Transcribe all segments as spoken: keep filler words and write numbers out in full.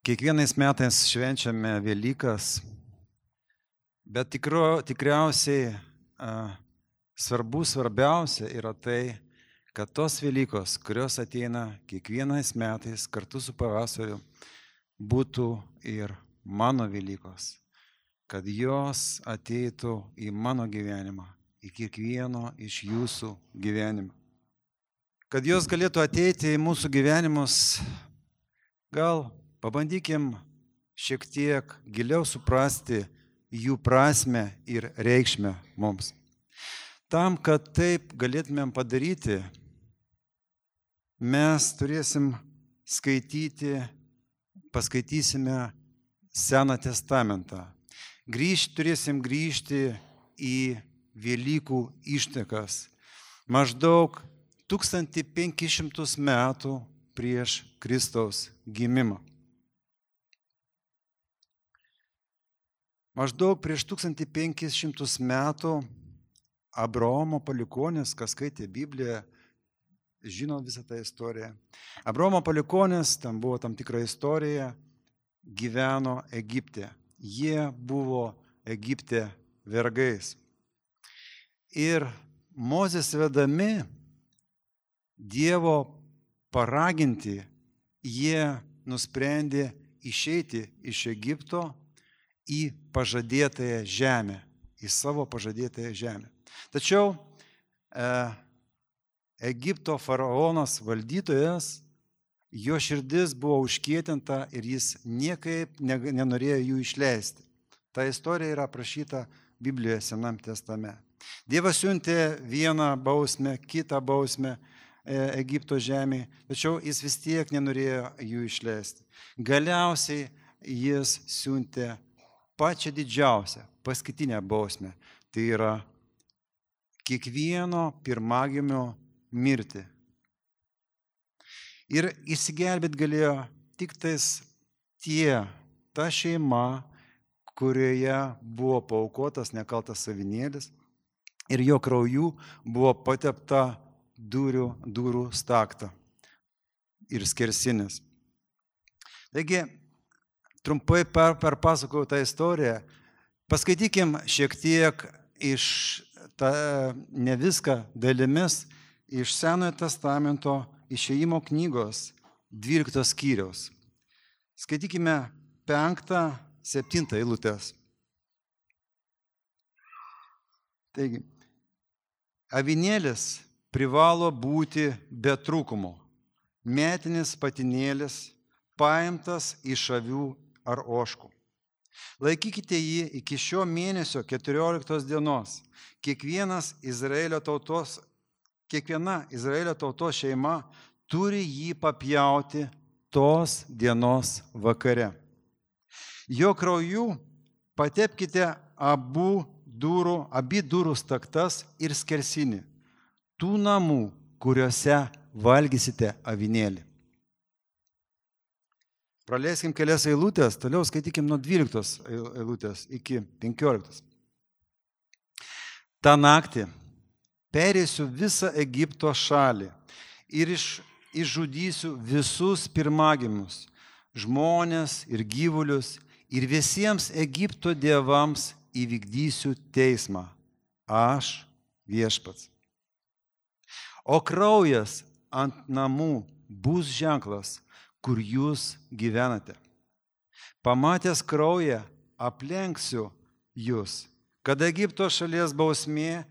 Kiekvienais metais švenčiame Velykas, bet tikro, tikriausiai a, svarbu, svarbiausia yra tai, kad tos Velykos, kurios ateina kiekvienais metais kartu su pavasariu, būtų ir mano Velykos, kad jos ateitų į mano gyvenimą, į kiekvieno iš jūsų gyvenimą. Kad jos galėtų ateiti į mūsų gyvenimus, gal pabandykim šiek tiek giliau suprasti jų prasmę ir reikšmę mums. Tam, kad taip galėtumėm padaryti, mes turėsim skaityti, paskaitysime Seną testamentą. Grįžti, turėsim grįžti į Velykų ištakas. Maždaug tūkstantis penkis šimtus metų prieš Kristaus gimimą. Maždaug prieš tūkstantį penkis šimtus metų Abraomo palikuonis, kas skaitė Bibliją, žino visą tą istoriją. Abraomo palikuonis, tam buvo tam tikra istorija, gyveno Egipte. Jie buvo Egipte vergais. Ir Mozės vedami Dievo paraginti, jie nusprendė išeiti iš Egipto į pažadėtąją žemę, į savo pažadėtąją žemę. Tačiau e, Egipto faraonas, valdytojas, jo širdis buvo užkietinta ir jis niekaip nenorėjo jų išleisti. Ta istorija yra aprašyta Biblijoje Senam testamente. Dievas siuntė vieną bausmę, kitą bausmę Egipto žemėje, tačiau jis vis tiek nenorėjo jų išleisti. Galiausiai jis siuntė pačią didžiausią, paskutinę bausmę. Tai yra kiekvieno pirmagimio mirtį. Ir išsigelbėti galėjo tik tais tie, ta šeima, kurioje buvo paaukotas nekaltas avinėlis ir jo krauju buvo patepta durų, durų stakta ir skersinis. Taigi, trumpai per, perpasakojau tą istoriją. Paskaitykim šiek tiek iš, ta, ne viską dalimis, iš Senojo testamento Išėjimo knygos dvyliktos skyriaus. Skaitykime penktą, septintą eilutes. Taigi, avinėlis privalo būti be trūkumo. Metinis patinėlis paimtas iš avių ar ožkų. Laikykite jį iki šio mėnesio keturioliktos dienos. Kiekvienas Izraelio tautos, kiekviena Izraelio tautos šeima turi jį papjauti tos dienos vakare. Jo krauju patepkite abu durų, abi durų staktas ir skersinį tų namų, kuriuose valgysite avinėlį. Praleiskim kelias eilutės, toliau skaitykim nuo dvyliktos eilutės iki penkioliktos. Ta naktį perėsiu visą Egipto šalį ir iš, išžudysiu visus pirmagimius, žmones ir gyvulius, ir visiems Egipto dievams įvykdysiu teismą. Aš viešpats. O kraujas ant namų bus ženklas, kur jūs gyvenate. Pamatęs kraują, aplenksiu jūs, kad Egipto šalies bausmė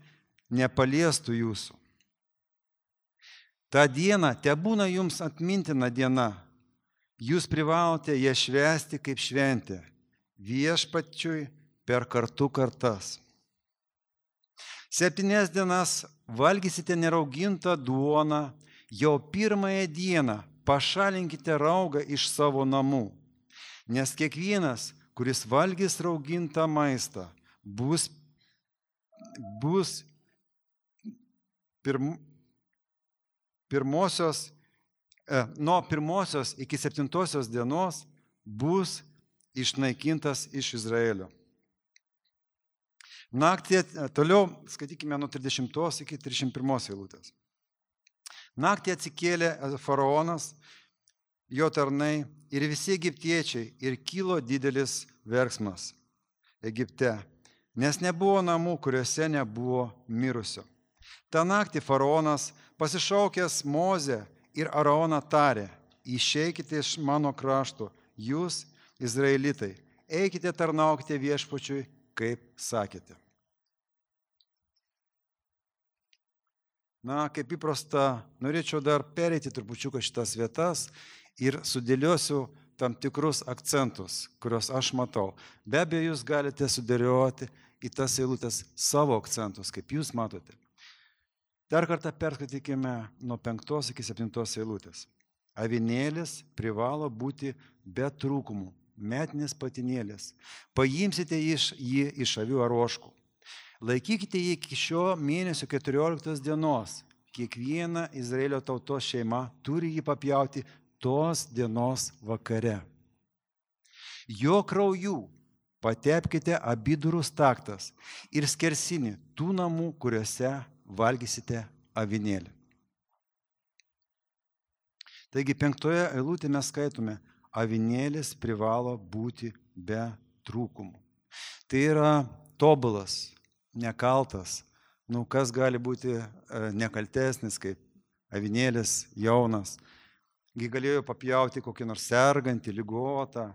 nepaliestų jūsų. Ta diena tebūna jums atmintina diena. Jūs privalote ją švęsti kaip šventę, viešpačiui per kartų kartas. Septynias dienas valgysite neraugintą duoną, jau pirmąją dieną pašalinkite raugą iš savo namų, nes kiekvienas, kuris valgys raugintą maistą, bus, bus pirm, pirmosios, e, nuo pirmosios iki septintosios dienos bus išnaikintas iš Izraelio. Naktį, toliau skaitykime nuo trisdešimtos iki trisdešimt pirmos eilutės. Naktį atsikėlė faraonas, jo tarnai ir visi egiptiečiai, ir kilo didelis verksmas Egipte, nes nebuvo namų, kuriuose nebuvo mirusio. Ta naktį faraonas, pasišaukęs Mozę ir Aaroną, tarė: išeikite iš mano krašto, jūs, izraelitai, eikite tarnaukite viešpačiui, kaip sakėte. Na, kaip įprasta, norėčiau dar pereiti trupučiuką šitas vietas ir sudėliosiu tam tikrus akcentus, kuriuos aš matau. Be abejo, jūs galite sudėlioti į tas eilutes savo akcentus, kaip jūs matote. Dar kartą perskaitykime nuo penktos iki septintos eilutės. Avinėlis privalo būti be trūkumų, metinis patinėlis. Paimsite iš jį iš avių ar ožkų. Laikykite jį iki šio mėnesio keturioliktos dienos. Kiekviena Izraelio tautos šeima turi jį papjauti tos dienos vakare. Jo krauju patepkite abidurų staktas ir skersinį tų namų, kuriuose valgysite avinėlį. Taigi penktoje eilutėje mes skaitome, avinėlis privalo būti be trūkumų. Tai yra tobulas, nekaltas. Nu, kas gali būti nekaltesnis kaip avinėlis jaunas. Gi galėjo papjauti kokį nors sergantį, ligotą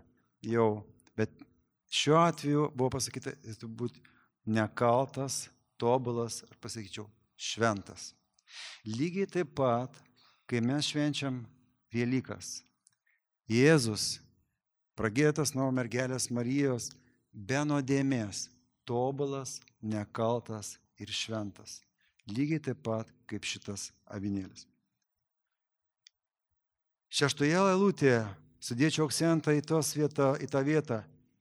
jau. Bet šiuo atveju buvo pasakyta, jis turi būti nekaltas, tobulas, ar pasakyčiau, šventas. Lygiai taip pat, kai mes švenčiam Velykas, Jėzus, pragėtas nuo mergelės Marijos, be nuodėmės, tobulas, nekaltas ir šventas. Lygiai taip pat kaip šitas avinėlis. Šeštoje eilutėje sudėčiau akcentą į, vietą, į tą vietą,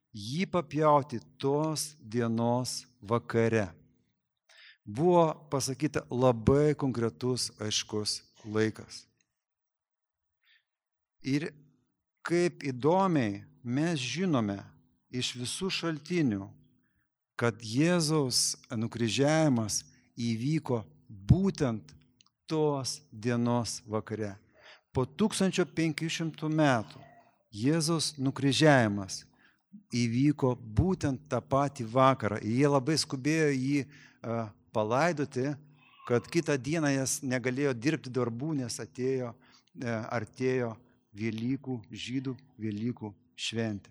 jį papjauti tos dienos vakare. Buvo pasakyta labai konkretus, aiškus laikas. Ir kaip įdomiai mes žinome iš visų šaltinių, kad Jėzaus nukryžiavimas įvyko būtent tos dienos vakare. Po tūkstančio penkių šimtų metų Jėzaus nukryžiavimas įvyko būtent tą patį vakarą. Jie labai skubėjo jį uh, palaidoti, kad kitą dieną jas negalėjo dirbti darbų, nes atėjo, uh, artėjo Velykų, žydų Velykų šventė.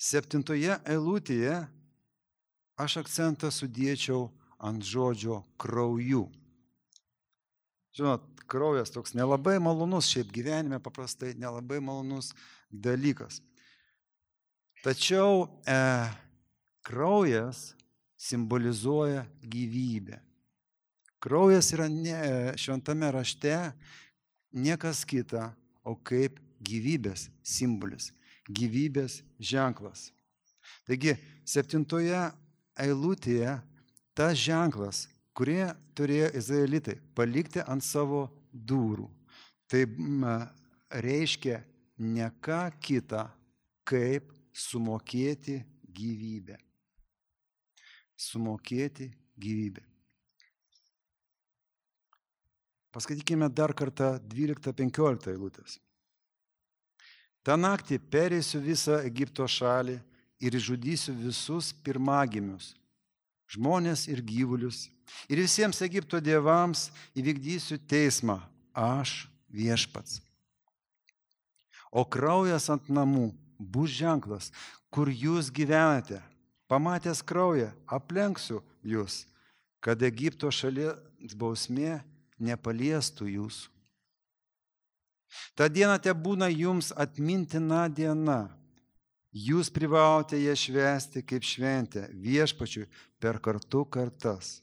Septintoje eilutėje aš akcentą sudėčiau ant žodžio krauju. Žinot, kraujas toks nelabai malonus, šiaip gyvenime paprastai nelabai malonus dalykas. Tačiau e, kraujas simbolizuoja gyvybę. Kraujas yra ne, šventame rašte niekas kita, o kaip gyvybės simbolis. Gyvybės ženklas. Taigi, septintoje eilutėje tas ženklas, kurie turėjo izraelitai palikti ant savo durų, tai reiškia ne ką kitą, kaip sumokėti gyvybę. Sumokėti gyvybę. Paskaitykime dar kartą dvyliktą penkioliktą eilutės. Ta naktį pereisiu visą Egipto šalį ir žudysiu visus pirmagimius, žmonės ir gyvulius, ir visiems Egipto dievams įvykdysiu teismą, aš viešpats. O kraujas ant namų bus ženklas, kur jūs gyvenate. Pamatęs kraują, aplenksiu jūs, kad Egipto šalies bausmė nepaliestų jūsų. Ta diena te būna jums atmintina diena. Jūs privalote ją švęsti kaip šventę viešpačiui per kartų kartas.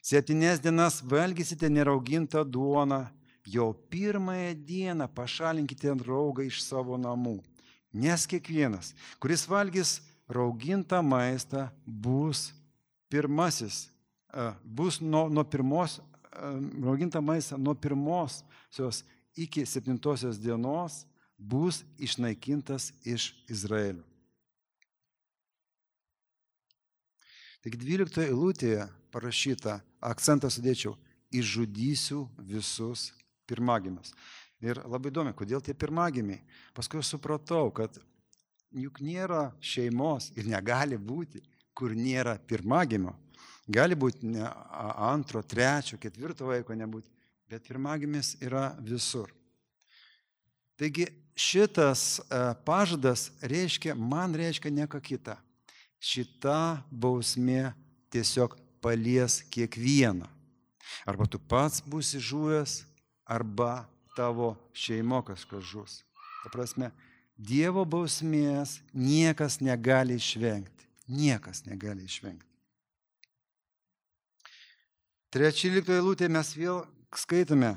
Septynias dienas valgysite neraugintą duoną, jau pirmąją dieną pašalinkite raugą iš savo namų. Nes kiekvienas, kuris valgys raugintą maistą, bus pirmasis, bus nuo, nuo pirmos, raugintą maistą nuo pirmosios iki septintosios dienos bus išnaikintas iš Izraelio. Taigi dvyliktoje eilutėje parašyta, akcentą sudėčiau, išžudysiu visus pirmagimius. Ir labai įdomi, kodėl tie pirmagimiai. Paskui aš supratau, kad juk nėra šeimos ir negali būti, kur nėra pirmagimio. Gali būti ne antro, trečio, ketvirto vaiko nebūti, bet pirmagimis yra visur. Taigi šitas pažadas reiškia, man reiškia ne ką kitą. Šita bausmė tiesiog palies kiekvieną. Arba tu pats būsi žuvęs, arba tavo šeimo kažkas žus. Ta prasme, Dievo bausmės niekas negali išvengti. Niekas negali išvengti. Trečioliktoje eilutėje mes vėl skaitome,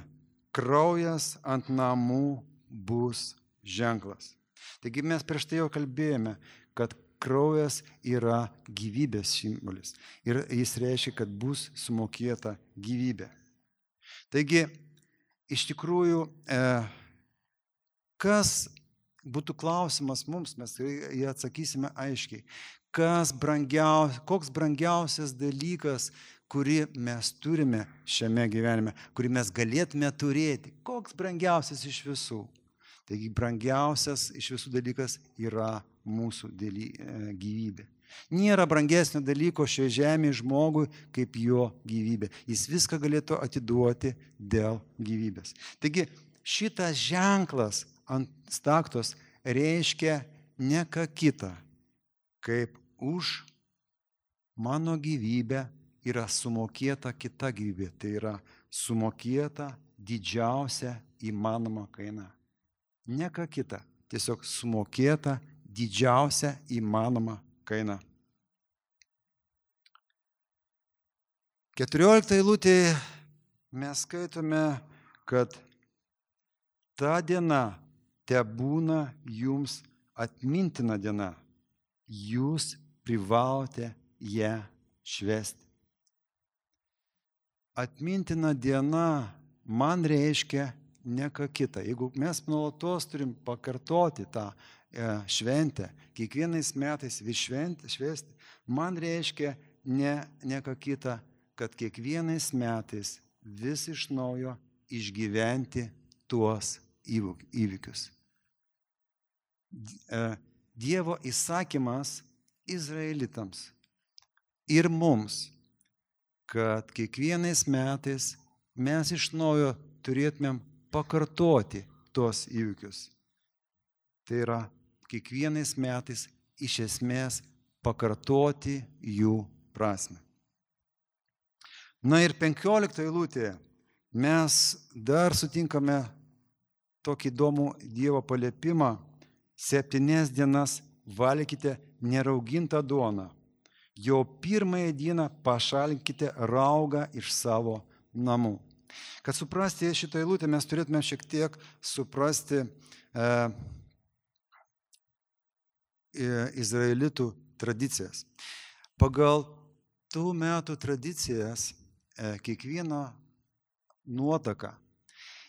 kraujas ant namų bus ženklas. Taigi mes prieš tai jau kalbėjome, kad kraujas yra gyvybės simbolis. Ir jis reiškia, kad bus sumokėta gyvybė. Taigi, iš tikrųjų, e, kas būtų klausimas mums, mes jį atsakysime aiškiai. Kas brangiaus, koks brangiausias dalykas, kurį mes turime šiame gyvenime, kurį mes galėtume turėti. Koks brangiausias iš visų? Taigi brangiausias iš visų dalykas yra mūsų daly, e, gyvybė. Nėra brangesnio dalyko šioje žemėje žmogui kaip jo gyvybė. Jis viską galėtų atiduoti dėl gyvybės. Taigi šitas ženklas ant staktos reiškia ne ką kitą, kaip už mano gyvybę yra sumokėta kita gyvybė. Tai yra sumokėta didžiausia įmanoma kaina. Ne ką kita, tiesiog sumokėta didžiausia įmanoma kaina. Keturioliktoje eilutėje mes skaitome, kad ta diena tebūna jums atmintina diena. Jūs privalote ją švęsti. Atmintina diena man reiškia ne ką kitą. Jeigu mes nuolatos turim pakartoti tą šventę, kiekvienais metais vis švęsti, man reiškia ne, ne ką kitą, kad kiekvienais metais vis iš naujo išgyventi tuos įvykius. Dievo įsakymas izraelitams ir mums, kad kiekvienais metais mes iš naujo turėtumėm pakartoti tuos įvykius. Tai yra kiekvienais metais iš esmės pakartoti jų prasmę. Na ir penkioliktoje eilutėje mes dar sutinkame tokį įdomų Dievo paliepimą. Septynias dienas valgykite neraugintą duoną. Jau pirmąją dieną pašalinkite raugą iš savo namų. Kad suprasti šitą eilutę, mes turėtume šiek tiek suprasti e, izraelitų tradicijas. Pagal tų metų tradicijas e, kiekviena nuotaka,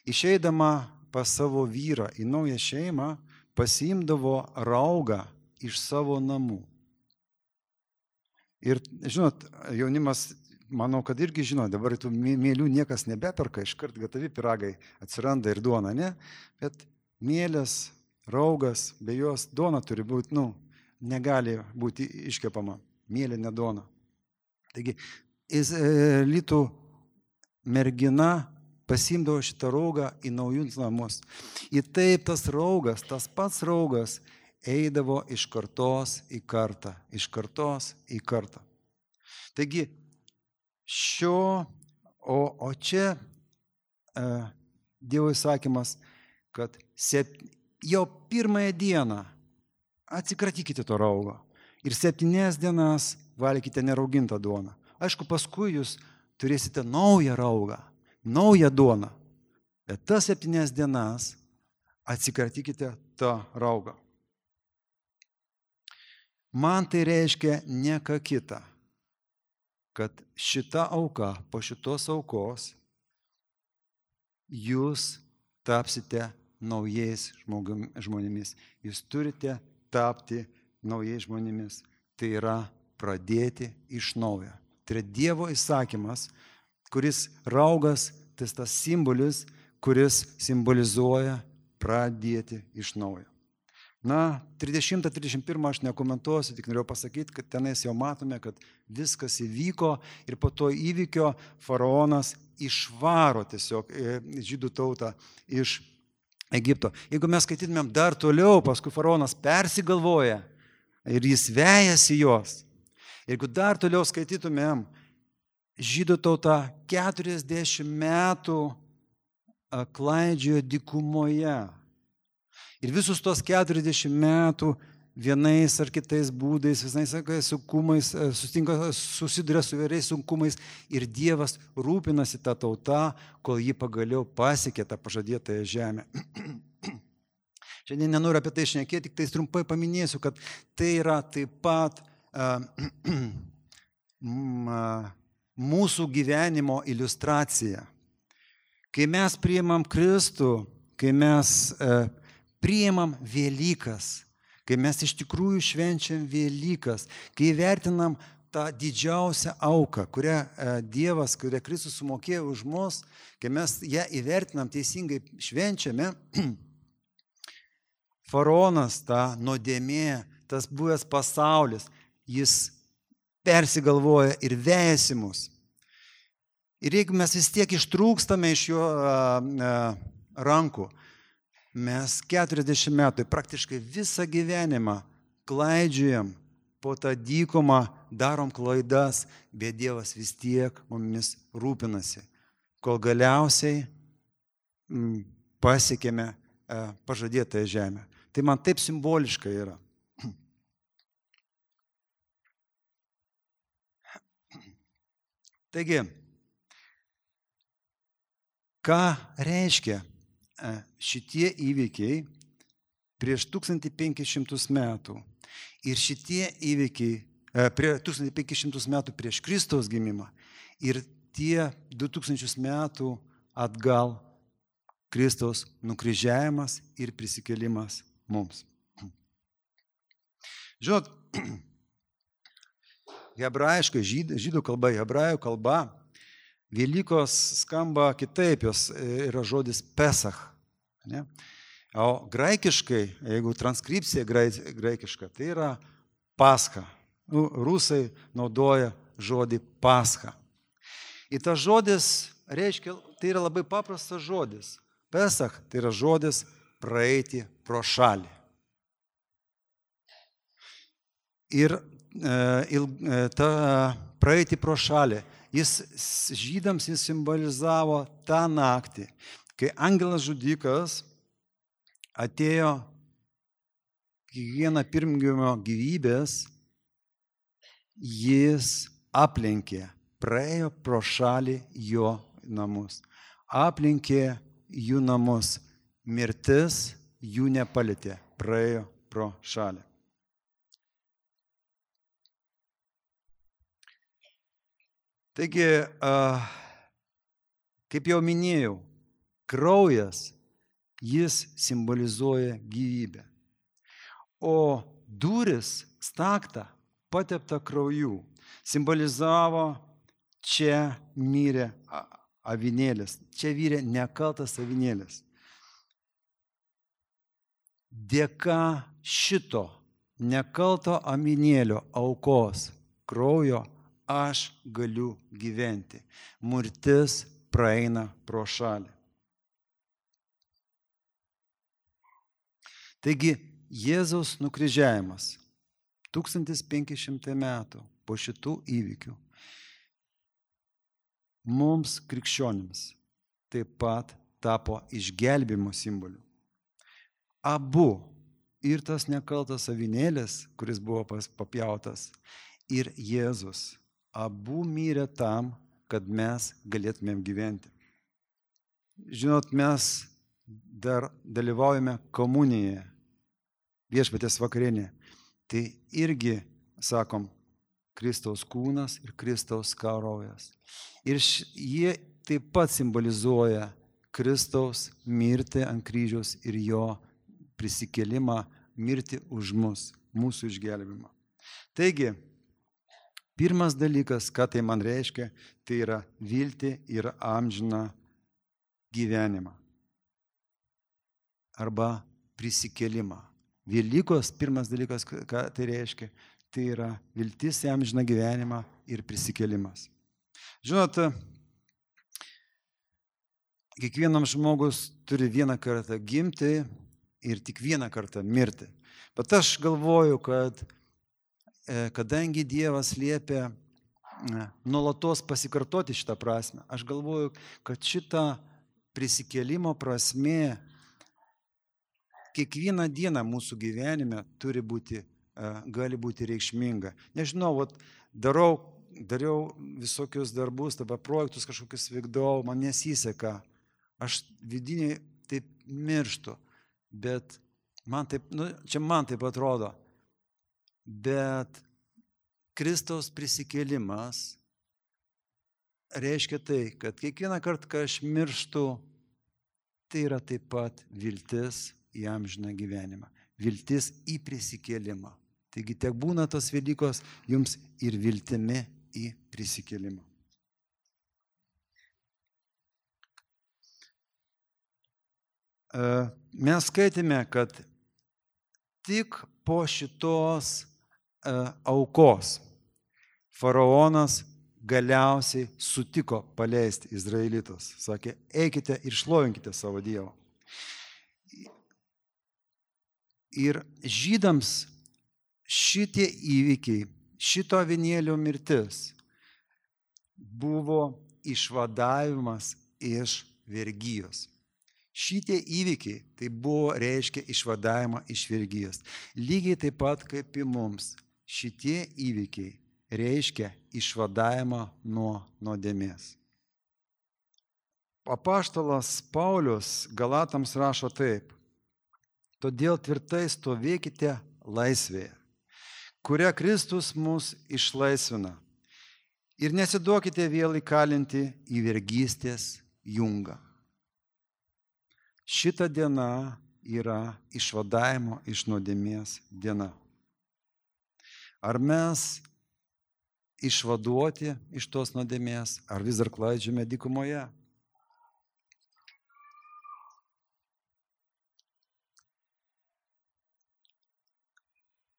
išeidama pas savo vyrą į naują šeimą, pasiimdavo raugą iš savo namų. Ir, žinot, jaunimas, manau, kad irgi žino, dabar tų mėlių niekas nebeperka, iškart gatavi pyragai atsiranda ir duona, ne? Bet mėlės, raugas, be jos duona turi būti, nu, negali būti iškepama, mėlė ne duona. Taigi, izraelitų mergina pasiimdavo šitą raugą į naujus namus. Ir taip tas raugas, tas pats raugas, eidavo iš kartos į kartą, iš kartos į kartą. Taigi, šio, o, o čia e, Dievo įsakymas, kad sep, jau pirmąją dieną atsikratykite to raugo ir septynias dienas valgykite neraugintą duoną. Aišku, paskui jūs turėsite naują raugą, naują duoną, bet tas septynias dienas atsikratykite tą raugą. Man tai reiškia ne ką kitą, kad šita auka, po šitos aukos, jūs tapsite naujais žmonėmis. Jūs turite tapti naujais žmonėmis. Tai yra pradėti iš naujo. Tai yra Dievo įsakymas kuris raugas, tai tas simbolis, kuris simbolizuoja pradėti iš naujo. Na, trisdešimtą trisdešimt pirmą aš nekomentuosiu, tik norėjau pasakyti, kad tenais jau matome, kad viskas įvyko ir po to įvykio faraonas išvaro tiesiog žydų tautą iš Egipto. Jeigu mes skaitytumėm dar toliau, paskui faraonas persigalvoja ir jis vejasi juos. Jeigu dar toliau skaitytumėm, žydų tauta keturiasdešimt metų klaidžiojo dykumoje. Ir visus tos keturiasdešimt metų vienais ar kitais būdais, visais sunkumais, susiduria su įvairiais sunkumais ir Dievas rūpinasi tą tautą, kol ji pagaliau pasiekė tą pažadėtąją žemę. Šiandien nenoriu apie tai šnekėti, tik tai trumpai paminėsiu, kad tai yra taip pat uh, mūsų gyvenimo iliustracija. Kai mes priimam Kristų, kai mes uh, priimam Velykas, kai mes iš tikrųjų švenčiam Velykas, kai vertinam tą didžiausią auką, kurią Dievas, kurią Kristus sumokėjo už mus, kai mes ją įvertinam teisingai švenčiame, faraonas, ta nuodėmė, tas buvęs pasaulis, jis persigalvoja ir vejasi mus. Ir jeigu mes vis tiek ištrūkstame iš jo rankų, mes keturiasdešimt metų, praktiškai visą gyvenimą klaidžiojam po tą dykumą, darom klaidas, bet Dievas vis tiek mumis rūpinasi, kol galiausiai m, pasiekėme e, pažadėtąją žemę. Tai man taip simboliška yra. Taigi, ką reiškia šitie įvykiai prieš tūkstantį penkis šimtus metų ir šitie įvykiai prie tūkstantį penkis šimtus metų prieš Kristaus gimimą ir tie du tūkstančius metų atgal Kristaus nukryžiavimas ir prisikėlimas mums. Žinot, hebrajiškai, žyd, žydų kalba, hebrajų kalba, Velykos skamba kitaip, jos yra žodis Pesach. Ne? O graikiškai, jeigu transkripcija graikiška, tai yra Pascha. Nu, rusai naudoja žodį Pascha. Ir tas žodis reiškia, tai yra labai paprastas žodis. Pesach tai yra žodis praeiti pro šalį. Ir e, ta praeiti pro šalį. Jis žydams jis simbolizavo tą naktį, kai angelas žudikas atėjo kiekvieną pirmgimio gyvybės, jis aplenkė, praėjo pro šalį jo namus. Aplenkė jų namus, mirtis jų nepalietė, praėjo pro šalį. Taigi, kaip jau minėjau, kraujas, jis simbolizuoja gyvybę. O duris, stakta, patepta krauju, simbolizavo čia mirė avinėlis, čia mirė nekaltas avinėlis. Dėka šito nekalto avinėlio aukos kraujo aš galiu gyventi. Mirtis praeina pro šalį. Taigi, Jėzaus nukryžiavimas tūkstantis penki šimtai metų po šitų įvykių mums krikščionims taip pat tapo išgelbėjimo simboliu. Abu, ir tas nekaltas avinėlis, kuris buvo papjautas, ir Jėzus, abu mirė tam, kad mes galėtumėm gyventi. Žinot, mes dar dalyvaujame komunijoje, viešpaties vakarienėje. Tai irgi, sakom, Kristaus kūnas ir Kristaus kraujas. Ir jie taip pat simbolizuoja Kristaus mirtį ant kryžiaus ir jo prisikėlimą, mirtį už mus, mūsų išgelbėjimą. Taigi, Pirmas dalykas, ką tai man reiškia, tai yra viltį ir amžiną gyvenimą. Arba prisikėlimą. Velykos, pirmas dalykas, ką tai reiškia, tai yra viltis į amžiną gyvenimą ir prisikėlimas. Žinot, kiekvienam žmogus turi vieną kartą gimti ir tik vieną kartą mirti. Bet aš galvoju, kad kadangi Dievas liepia nuolatos pasikartoti šitą prasme, aš galvoju, kad šita prisikėlimo prasmė kiekvieną dieną mūsų gyvenime turi būti, gali būti reikšminga. Nežinau, vat, darau, dariau visokius darbus, dabar projektus kažkokius vykdau, man nesiseka, aš vidiniai taip mirštu, bet man taip, nu, čia man taip atrodo. Bet Kristaus prisikėlimas reiškia tai, kad kiekvieną kartą, kai aš mirštu, tai yra taip pat viltis į amžiną gyvenimą, viltis į prisikėlimą. Taigi tiek būna tos Velykos jums ir viltimi į prisikėlimą. Mes skaitėme, kad tik po šitos aukos faraonas galiausiai sutiko paleisti izraelitus. Sakė, eikite ir šlovinkite savo Dievą. Ir žydams šitie įvykiai, šito avinėlio mirtis buvo išvadavimas iš vergijos. Šitie įvykiai tai buvo reiškia išvadavimą iš vergijos. Lygiai taip pat kaip ir mums. Šitie įvykiai reiškia išvadavimą nuo nuodėmės. Apaštalas Paulius Galatams rašo taip. Todėl tvirtai stovėkite laisvėje, kurią Kristus mus išlaisvina. Ir nesiduokite vėl įkalinti į vergystės jungą. Šita diena yra išvadavimo iš nuodėmės diena. Ar mes išvaduoti iš tos nuodėmės, ar vis dar klaidžiame dykumoje?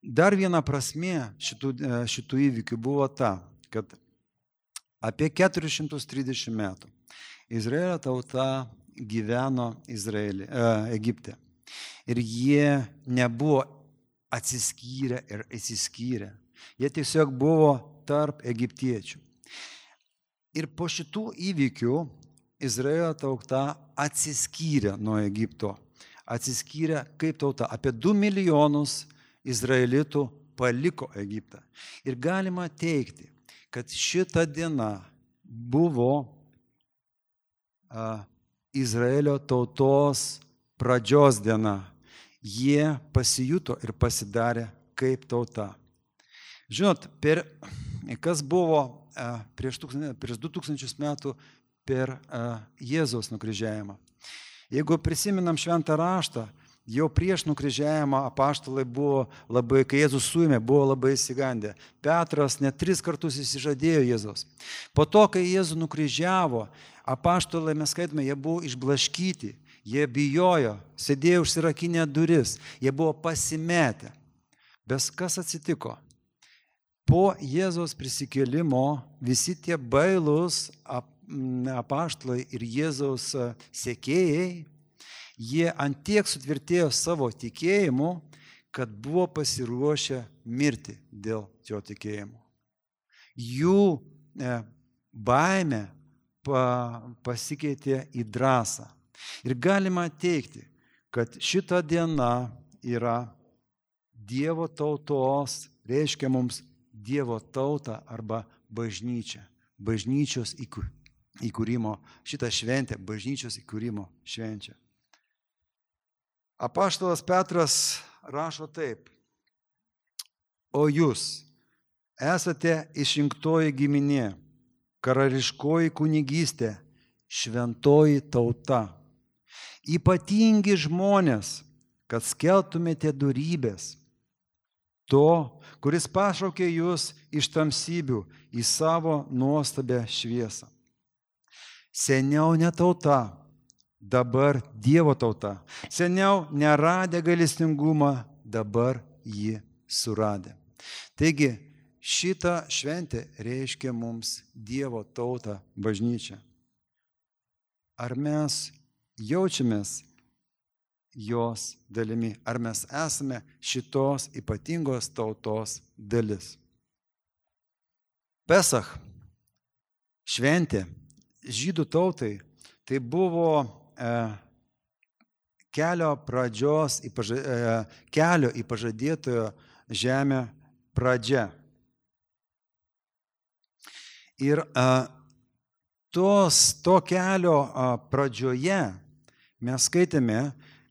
Dar viena prasmė šitų, šitų įvykių buvo ta, kad apie keturis šimtus trisdešimt metų Izraelio tauta gyveno Izraelį, e, Egipte. Ir jie nebuvo atsiskyrę ir įsiskyrę. Jie tiesiog buvo tarp egiptiečių. Ir po šitų įvykių Izraelio tauta atsiskyrė nuo Egipto. Atsiskyrė kaip tauta. Apie du milijonus izraelitų paliko Egiptą. Ir galima teigti, kad šita diena buvo a, Izraelio tautos pradžios diena. Jie pasijuto ir pasidarė kaip tauta. Žinot, per, kas buvo a, prieš, tūkstančius, prieš du tūkstančius metų per a, Jėzaus nukryžiavimą. Jeigu prisiminam šventą raštą, jau prieš nukryžiavimą apaštalai buvo labai, kai Jėzus suėmė, buvo labai išsigandę. Petras net tris kartus išsižadėjo Jėzaus. Po to, kai Jėzų nukryžiavo, apaštalai, mes skaitome, jie buvo išblaškyti, jie bijojo, sėdėjo užsirakinę duris, jie buvo pasimetę. Bet kas atsitiko? Po Jėzaus prisikėlimo visi tie bailūs apaštalai ir Jėzaus sekėjai, jie antiek sutvirtėjo savo tikėjimu, kad buvo pasiruošę mirti dėl jo tikėjimo. Jų baimė pasikeitė į drąsą. Ir galima teigti, kad šita diena yra Dievo tautos, reiškia mums Dievo tautą arba bažnyčią. Bažnyčios įkūrimo, šitą šventę, bažnyčios įkūrimo švenčia. Apaštalas Petras rašo taip. O jūs esate išrinktoji giminė, karališkoji kunigystė, šventoji tauta, ypatingi žmonės, kad skelbtumėte dorybės, To, kuris pašaukė jūs iš tamsybių į savo nuostabę šviesą. Seniau ne tauta, dabar Dievo tauta. Seniau neradę gailestingumą, dabar jį suradę. Taigi, šitą šventę reiškia mums Dievo tautą, bažnyčią. Ar mes jaučiamės jos dalimi, ar mes esame šitos ypatingos tautos dalis? Pesach, šventė, žydų tautai, tai buvo e, kelio pradžios, į paža, e, kelio į pažadėtojo žemę pradžia. Ir e, tos, to kelio e, pradžioje mes skaitėme,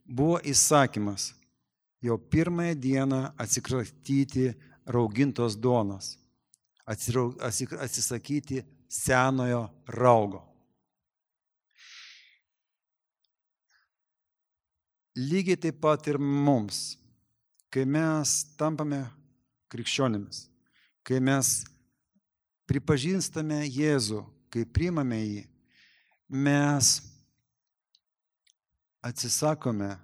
buvo įsakymas jau pirmąją dieną atsikratyti raugintos duonos, atsisakyti senojo raugo. Lygiai taip pat ir mums, kai mes tampame krikščionimis, kai mes pripažįstame Jėzų, kai priimame jį, mes atsisakome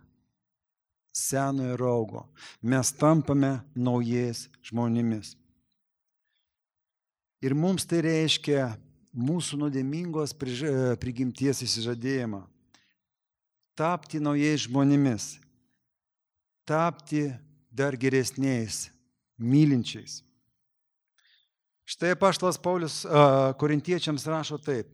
senojo raugo, mes tampame naujais žmonėmis. Ir mums tai reiškia mūsų nuodėmingos prigimties išsižadėjimą. Tapti naujais žmonėmis, tapti dar geresniais, mylinčiais. Štai apaštalas Paulius korintiečiams rašo taip.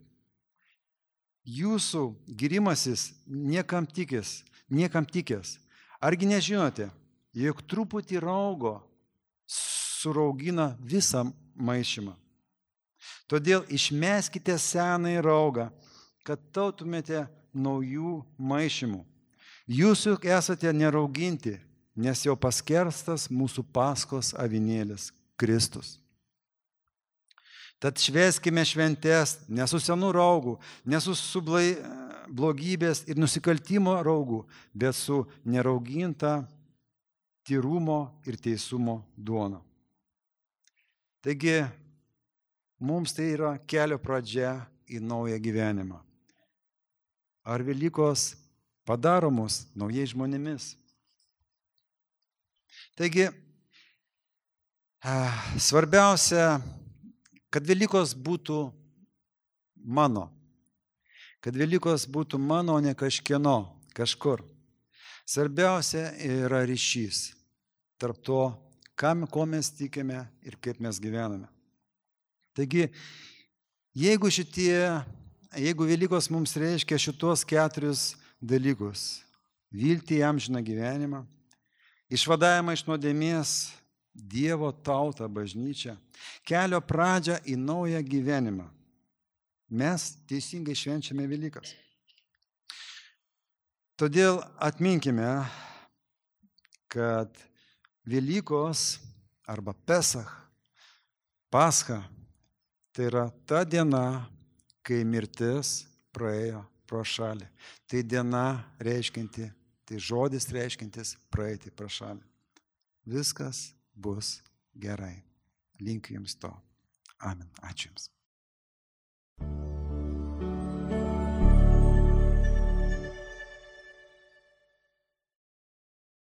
Jūsų gyrimasis niekam tikęs, niekam tikęs. Argi nežinote, jog truputį raugo suraugina visą maišymą. Todėl išmeskite senąjį raugą, kad tautumėte naujų maišymų. Jūs juk esate nerauginti, nes jau paskerstas mūsų Paskos avinėlis Kristus. Tad švęskime šventes ne su senu raugu, ne su sublai, blogybės ir nusikaltimo raugu, bet su nerauginta tyrumo ir teisumo duona. Taigi, mums tai yra kelio pradžia į naują gyvenimą. Ar Velykos padaro mus naujais žmonėmis? Taigi, svarbiausia, kad Velykos būtų mano. Kad Velykos būtų mano, ne kažkieno, kažkur. Svarbiausia yra ryšys tarp to, kam, ko mes tikime ir kaip mes gyvename. Taigi, jeigu šitie, jeigu Velykos mums reiškia šitos keturis dalykus, viltį į amžiną gyvenimą, išvadavimą iš nuodėmės, Dievo tautą, bažnyčią, kelio pradžią į naują gyvenimą, mes teisingai švenčiame Velykas. Todėl atminkime, kad Velykos arba Pesach, Pascha, tai yra ta diena, kai mirtis praėjo pro šalį. Tai diena reiškinti, tai žodis reiškintis praeiti pro šalį. Viskas bus gerai. Linkiu jums to. Amen. Ačiū jums.